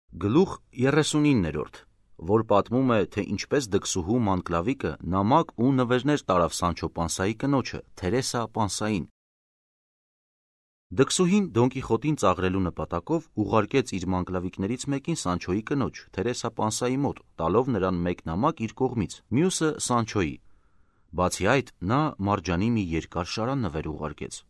Գլուխ 39, որ պատմում է, թե ինչպես դքսուհու Մանկլավիկը նամակ ու նվերներ տարավ Սանչո Պանսայի կնոջը, Թերեսա Պանսային։ Դքսուհին Դոն Կիխոտին ծաղրելու նպատակով ուղարկեց իր մանկլավիկներից մեկին Սանչոյի կնոջ, Թերեսա Պանսայի մոտ, տալով նրան մեկ նամակ իր կողմից, մյուսը Սանչոյի։ Բացի այդ, նա Մարջանի մի երկար շարան նվեր ուղարկեց։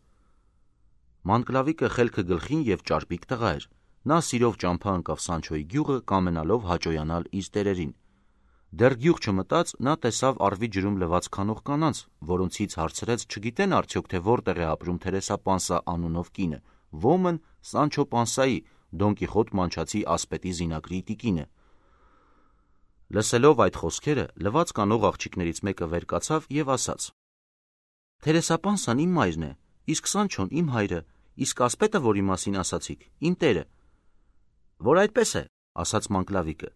Մանկլավիկը խելքը գլխին և ճարպիկ տղա էր։ Նա սիրով ճամփա ընկավ Սանչոյի գյուղը, կամենալով հաճոյանալ իր տերերին։ Դեռ գյուղ չմտած, նա տեսավ առվի ջրում լվաց քանող կանանց, որոնցից հարցրեց չգիտեն արդյոք, թե որտեղ է ապրում Թերեսա Պանսա անունով կինը, ոմն Սանչո Պանսայի, Դոն Կիխոտ մանչացի ասպետի զինակրի տիկինը։ Լսելով այդ խոսքերը, լվաց կանող աղջիկներից մեկը վեր կացավ և ասաց. Թերեսա Պանսան իմ մայրն է, իսկ Սանչոն իմ հայրը, իսկ ասպետը, որի մասին ասացիք, իմ տերը։ Որ այդպես է, ասաց Մանկլավիկը,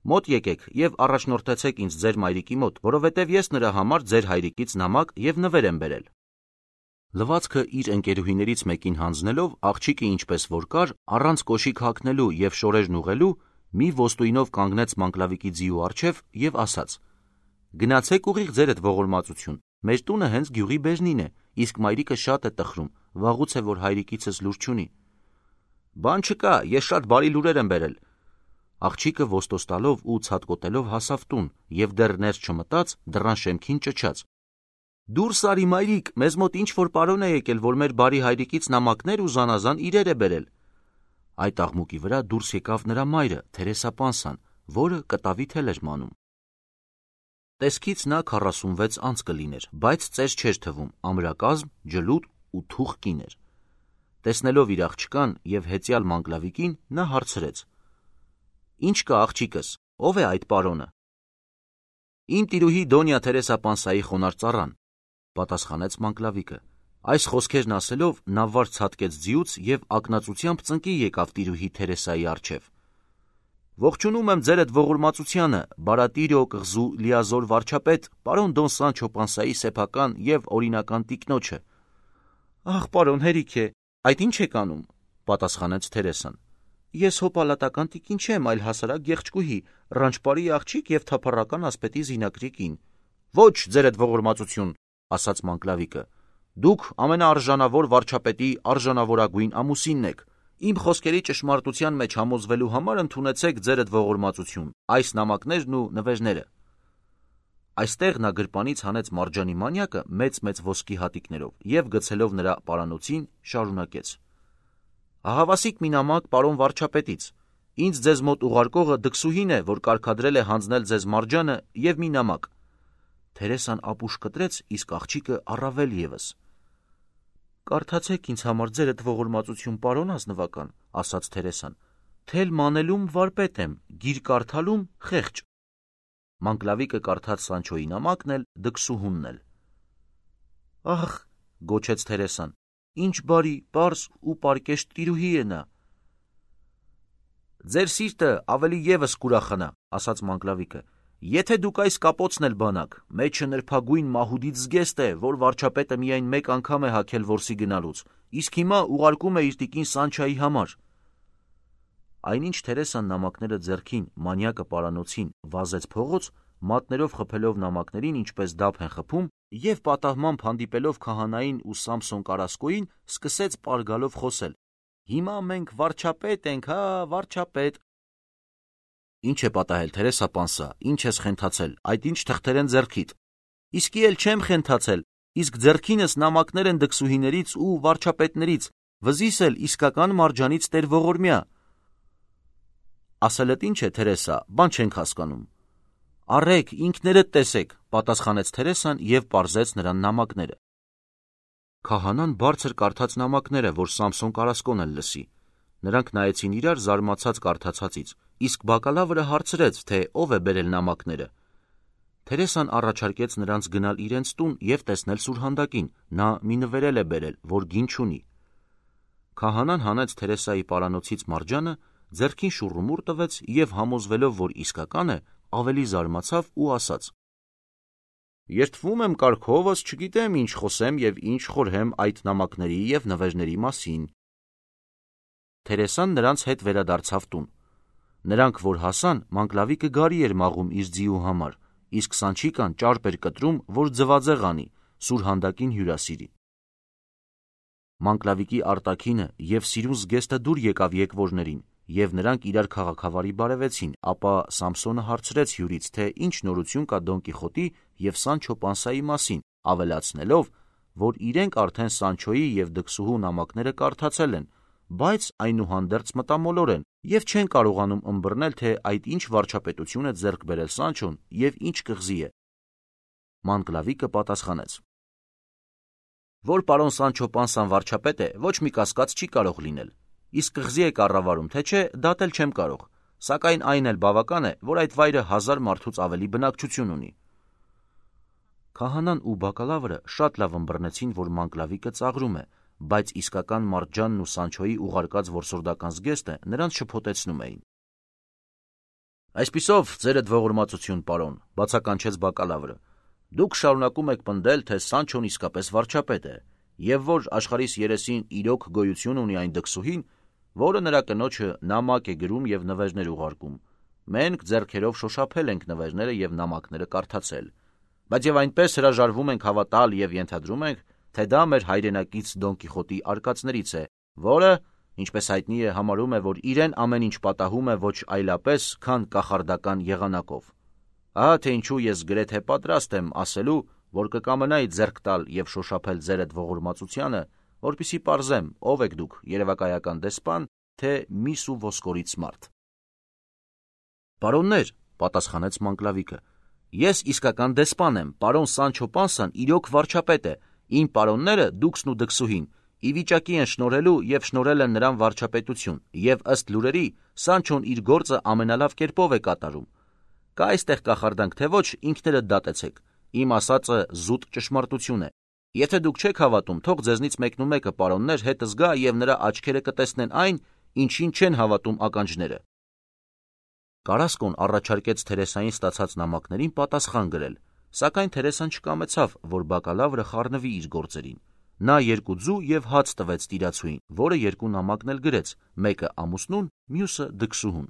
մոտ եկեք և առաջնորդեցեք ինձ ձեր մայրիկի մոտ, որովհետև ես նրա համար ձեր հայրիկից նամակ և նվեր եմ բերել։ Լվացքը իր ընկերուհիներից մեկին հանձնելով, աղջիկը ինչպես որ կար, առանց կոշիկ հագնելու և շորերն ուղղելու, մի ոստույնով կանգնեց Մանկլավիկի ձիու առջև և ասաց. Գնացեք ուղիղ ձերդ ողորմածություն, մեր տունը հենց գյուղի բերնին է, իսկ մայրիկը շատ է տխրում, վաղուց է, որ հայրիկիցս լուր չունի։ Բան չկա, ես շատ բարի լուրեր եմ բերել։ Աղջիկը ոստոստալով ու ցատկոտելով հասավ տուն և դեռ ներս չմտած, դռան շեմքին ճչաց. Դուրս արի մայրիկ, մեզ մոտ ինչ-որ պարոն է եկել, որ մեր բարի հայրիկից նամակներ ու զանազան իրեր է բերել։ Այդ աղմուկի վրա դուրս եկավ նրա մայրը, Թերեսա Պանսան, որը կտավի թել էր մանում։ Տեսքից նա 46 անց կլիներ, բայց ծեր չէր թվում, ամրակազմ, ջլուտ ու թուխ կին էր։ Տեսնելով իր աղջկան և հեծյալ Մանկլավիկին, նա հարցրեց. Ինչ կա աղջիկս, ով է այդ պարոնը։ Իմ տիրուհի Դոնյա Թերեսա Պանսայի խոնարհ ծառան, պատասխանեց Մանկլավիկը։ Այս խոսքերն ասելով, նա վար ցատկեց ձիուց և ակնածությամբ ծնկի եկավ տիրուհի Թերեսայի առջև։ Ողջունում եմ ձերդ ողորմածությանը, բարատիրո կղզու լիազոր վարչապետ, պարոն Դոն Սանչո Պանսայի սեփական և օրինական տիկնոջը։ Ահ, պարոն հերիք է, այդ ինչ եք անում, պատասխանեց Թերեսան։ Ես հո պալատական տիկին չեմ, այլ հասարակ գեղեցկուհի, ռանչպարի աղջիկ և թափառական ասպետի զինակրի կին։ Ոչ, ձերդ ողորմածություն, ասաց Մանկլավիկը։ Դուք ամենաարժանավոր վարչապետի արժանավորագույն ամուսինն եք։ Իմ խոսքերի ճշմարտության մեջ համոզվելու համար ընդունեցեք ձերդ ողորմածություն, այս նամակներն ու նվերները։ Այստեղ նա գրպանից հանեց Մարջանի մանյակը մեծ ոսկի հատիկներով և գցելով նրա պարանոցին շարունակեց. Ահավասիկ մի նամակ պարոն վարչապետից։ Ինձ ձեզ մոտ ուղարկողը դքսուհին է, որ կարգադրել է հանձնել ձեզ Մարջանը և մի նամակ։ Թերեսան ապուշ կտրեց, իսկ աղջիկը առավել ևս։ Կարդացեք ինձ համար ձերդ ողորմածություն, պարոն ազնվական, ասաց Թերեսան։ Թել մանելում վարպետ եմ, գիր կարդալում խեղճ։ Մանկլավիկը կարդաց Սանչոյի նամակն էլ, դքսուհունն էլ։ Ահ, գոչեց Թերեսան, ինչ բարի, պարզ ու պարկեշտ տիրուհի է նա։ Ձեր սիրտը ավելի ևս կուրախանա, ասաց Մանկլավիկը, եթե դուք այս կապոցն էլ բանաք, մեջը նրբագույն մահուդից զգեստ է, որ վարչապետը միայն մեկ անգամ է հագել որսի գնալուց, իսկ հիմա ուղարկում է իր տիկին Սանչայի համար։ Այնինչ Թերեսան նամակները ձեռքին, մանյակը պարանոցին վազեց փողոց, մատներով խփելով նամակներին, ինչպես դափ են խփում, և պատահմամբ հանդիպելով քահանային ու Սամսոն Կարասկոյին, սկսեց պարգալով խոսել. Հիմա մենք վարչապետ ենք, հա, վարչապետ։ Ինչ է պատահել, Թերեսա Պանսա, ինչ ես խենթացել, այդ ինչ թղթեր են ձեռքիդ։ Իսկի էլ չեմ խենթացել, իսկ ձեռքինս նամակներ են դքսուհիներից ու վարչապետներից, վզիս էլ իսկական Մարջանից տեր ողորմյա։ Ասելդ ինչ է, Թերեսա, բան չենք հասկանում։ Առեք, ինքներդ տեսեք, պատասխանեց Թերեսան և պարզեց նրան նամակները։ Քահանան բարձր կարդաց նամակները, որ Սամսոն Կարասկոն էլ լսի։ Նրանք նայեցին իրար զարմացած կարդացածից, իսկ բակալավրը հարցրեց, թե ով է բերել նամակները։ Թերեսան առաջարկեց նրանց գնալ իրենց տուն և տեսնել սուրհանդակին, նա մի նվերել է բերել, որ գին չունի։ Քահանան հանեց Թերեսայի պարանոցից Մարջանը, ձեռքին շուռումուռ տվեց և համոզվելով, որ իսկական է, ավելի զարմացավ ու ասաց. Երդվում եմ կարգովս, չգիտեմ ինչ խոսեմ և ինչ խորհեմ այդ նամակների և նվերների մասին։ Թերեսան նրանց հետ վերադարձավ տուն։ Նրանք, որ հասան, Մանկլավիկը գարի էր մաղում իր ձիու համար, իսկ Սանչիկան ճարպ էր կտրում, որ ձվածեղ անի, սուրհանդակին հյուրասիրի։ Մանկլավիկի արտաքինը և սիրուն զգեստը դուր եկավ եկվորներին, և նրանք իրար քաղաքավարի բարևեցին, ապա Սամսոնը հարցրեց հյուրից, թե ինչ նորություն կա Դոն Կիխոտի և Սանչո Պանսայի մասին, ավելացնելով, որ իրենք արդեն Սանչոյի և դքսուհու նամակները կարդացել են, բայց այնուհանդերձ մտամոլոր են և չեն կարողանում ըմբռնել, թե այդ ինչ վարչապետություն է ձեռք բերել Սանչոն և ինչ կղզի է։ Մանկլավիկը պատասխանեց. որ պարոն Սանչո Պանսան վարչապետ է, ոչ մի կասկած չի կարող լինել, իսկ կղզի է կառավարում, թե չէ, դատել չեմ կարող, սակայն այն էլ բավական է, որ այդ վայրը 1000 մարդուց ավելի բնակչություն ունի։ Քահանան ու բակալավրը շատ լավ ըմբռնեցին, որ Մանկլավիկը ծաղրում է, բայց իսկական Մարտջանն ու Սանչոյի ուղարկած որսորդական զգեստը նրանց շփոթեցնում էին։ Այսպիսով, ձերդ ողորմածություն, պարոն, բացականչեց բակալավրը, դուք շարունակում եք պնդել, թե Սանչոն իսկապես վարչապետ է, և որ աշխարհիս երեսին իրոք գոյություն ունի այն դքսուհին, որը նրա կնոջը նամակ է գրում և նվերներ ուղարկում։ Մենք ձեռքերով շոշափել ենք նվերները և նամակները կարդացել, բայց և այնպես հրաժարվում ենք հավատալ և ենթադրում ենք, թե դա մեր հայրենակից Դոն Կիխոտի արկածներից է, որը, ինչպես հայտնի է, համարում է, որ իրեն ամեն ինչ պատահում է ոչ այլապես, քան կախարդական եղանակով։ Ահա թե ինչու ես գրեթե պատրաստ եմ ասելու, որ կկամենայի ձեռք տալ և շոշափել ձերդ ողորմածությանը, որպեսզի պարզեմ, ով եք դուք, երևակայական դեսպան, թե միս ու ոսկորից մարդ։ Պարոններ, պատասխանեց Մանկլավիկը, ես իսկական դեսպան եմ, պարոն Սանչո Պանսան իրոք վարչապետ է, իմ պարոնները, դուքսն ու դքսուհին, ի վիճակի են շնորհելու և շնորհել են նրան վարչապետություն, և ըստ լուրերի, Սանչոն իր գործը ամենալավ կերպով է կատարում։ Կա այստեղ կախարդանք, թե ոչ, ինքներդ դատեցեք, իմ ասածը զուտ ճշմարտություն է։ Եթե դուք չեք հավատում, թող ձեզնից մեկնումեկը, պարոններ, հետը զգա և նրա աչքերը կտեսնեն այն, ինչին չեն հավատում ականջները։ Կարասկոն առաջարկեց Թերեսային ստացած նամակներին պատասխան գրել, սակայն Թերեսան չկամեցավ, որ բակալավրը խառնվի իր գործերին։ Նա 2 ձու և հաց տվեց տիրացուին, որը 2 նամակն էլ գրեց, մեկը ամուսնուն, մյուսը դքսուհուն։